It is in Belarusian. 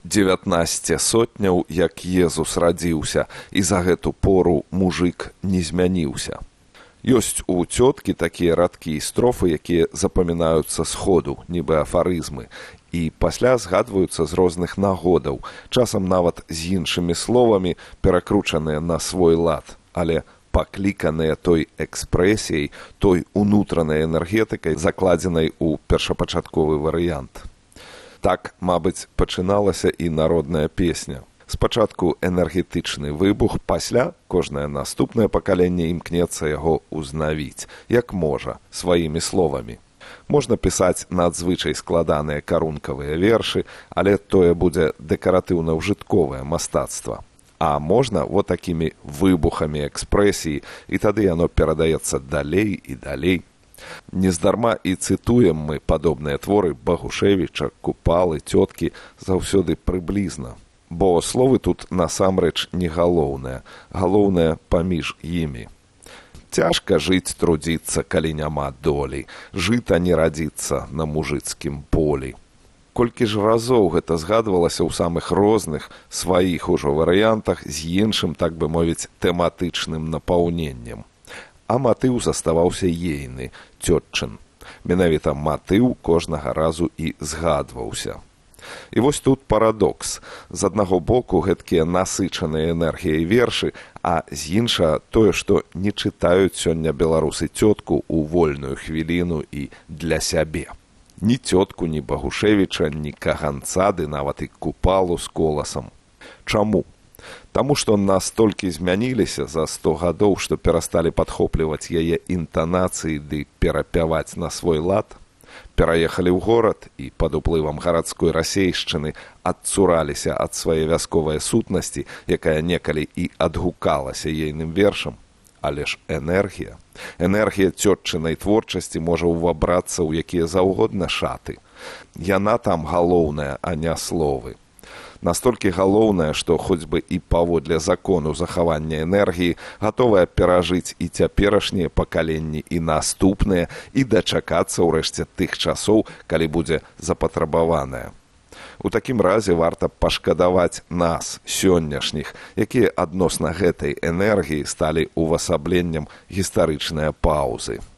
19 сотняў, як Езус радзіўся, і за гэту пору мужык не змяніўся. Ёсць у цёткі такія радкі і строфы, якія запамінаюцца сходу, нібы афарызмы, і пасля згадваюцца з розных нагодаў, часам нават з іншымі словамі, перакручаныя на свой лад, але пакліканыя той экспрэсіяй, той унутранай энергетыкай, закладзенай у першапачатковы варыянт. Так, мабыць, пачыналася і народная песня. Спачатку энергетычны выбух, пасля кожнае наступнае пакаленне імкнецца яго ўзнавіць, як можа, сваімі словамі. Можна пісаць надзвычай складаныя карункавыя вершы, але тое будзе дэкаратыўна-ўжытковае мастацтва. А можна вот такімі выбухамі экспрэсіі, і тады яно перадаецца далей і далей. Нездарма і цытуем мы падобныя творы Багушевіча, Купалы, цёткі заўсёды прыблізна. Бо словы тут насамрэч не галоўнае, галоўнае паміж імі. Цяжка жыць, трудзіцца, калі няма долі, жыта не радзіцца на мужыцкім полі. Колькі ж разоў гэта згадвалася ў самых розных сваіх ужо варыянтах з іншым, так бы мовіць, тэматычным напаўненнем. А матыў заставаўся ейны, цётчын. Менавіта матыў кожнага разу і згадваўся. І вось тут парадокс. З аднаго боку гэткія насычаныя энергіяй вершы, а з іншага тое, што не чытаюць сёння беларусы цётку ў вольную хвіліну і для сябе. Ні цётку, ні Багушевіча, ні Каганца, ды нават і Купалу з коласам. Чаму? Таму што настолькі змяніліся за 100 гадоў, што перасталі падхопліваць яе інтанацыі ды перапяваць на свой лад, пераехалі ў горад і пад уплывам гарадской расейшчыны адцураліся ад свае вясковай сутнасці, якая некалі і адгукалася ейным вершам. Але ж энергія цётчынай творчасці можа ўвабрацца ў якія заўгодна шаты. Яна там галоўная, а не словы. Настолькі галоўнае, што хоць бы і паводле закону захавання энергіі гатовая перажыць і цяперашнія пакаленні, і наступныя, і дачакацца ўрэшце тых часоў, калі будзе запатрабаваная. У такім разе варта пашкадаваць нас, сённяшніх, якія адносна гэтай энергіі сталі увасабленнем гістарычныя паўзы.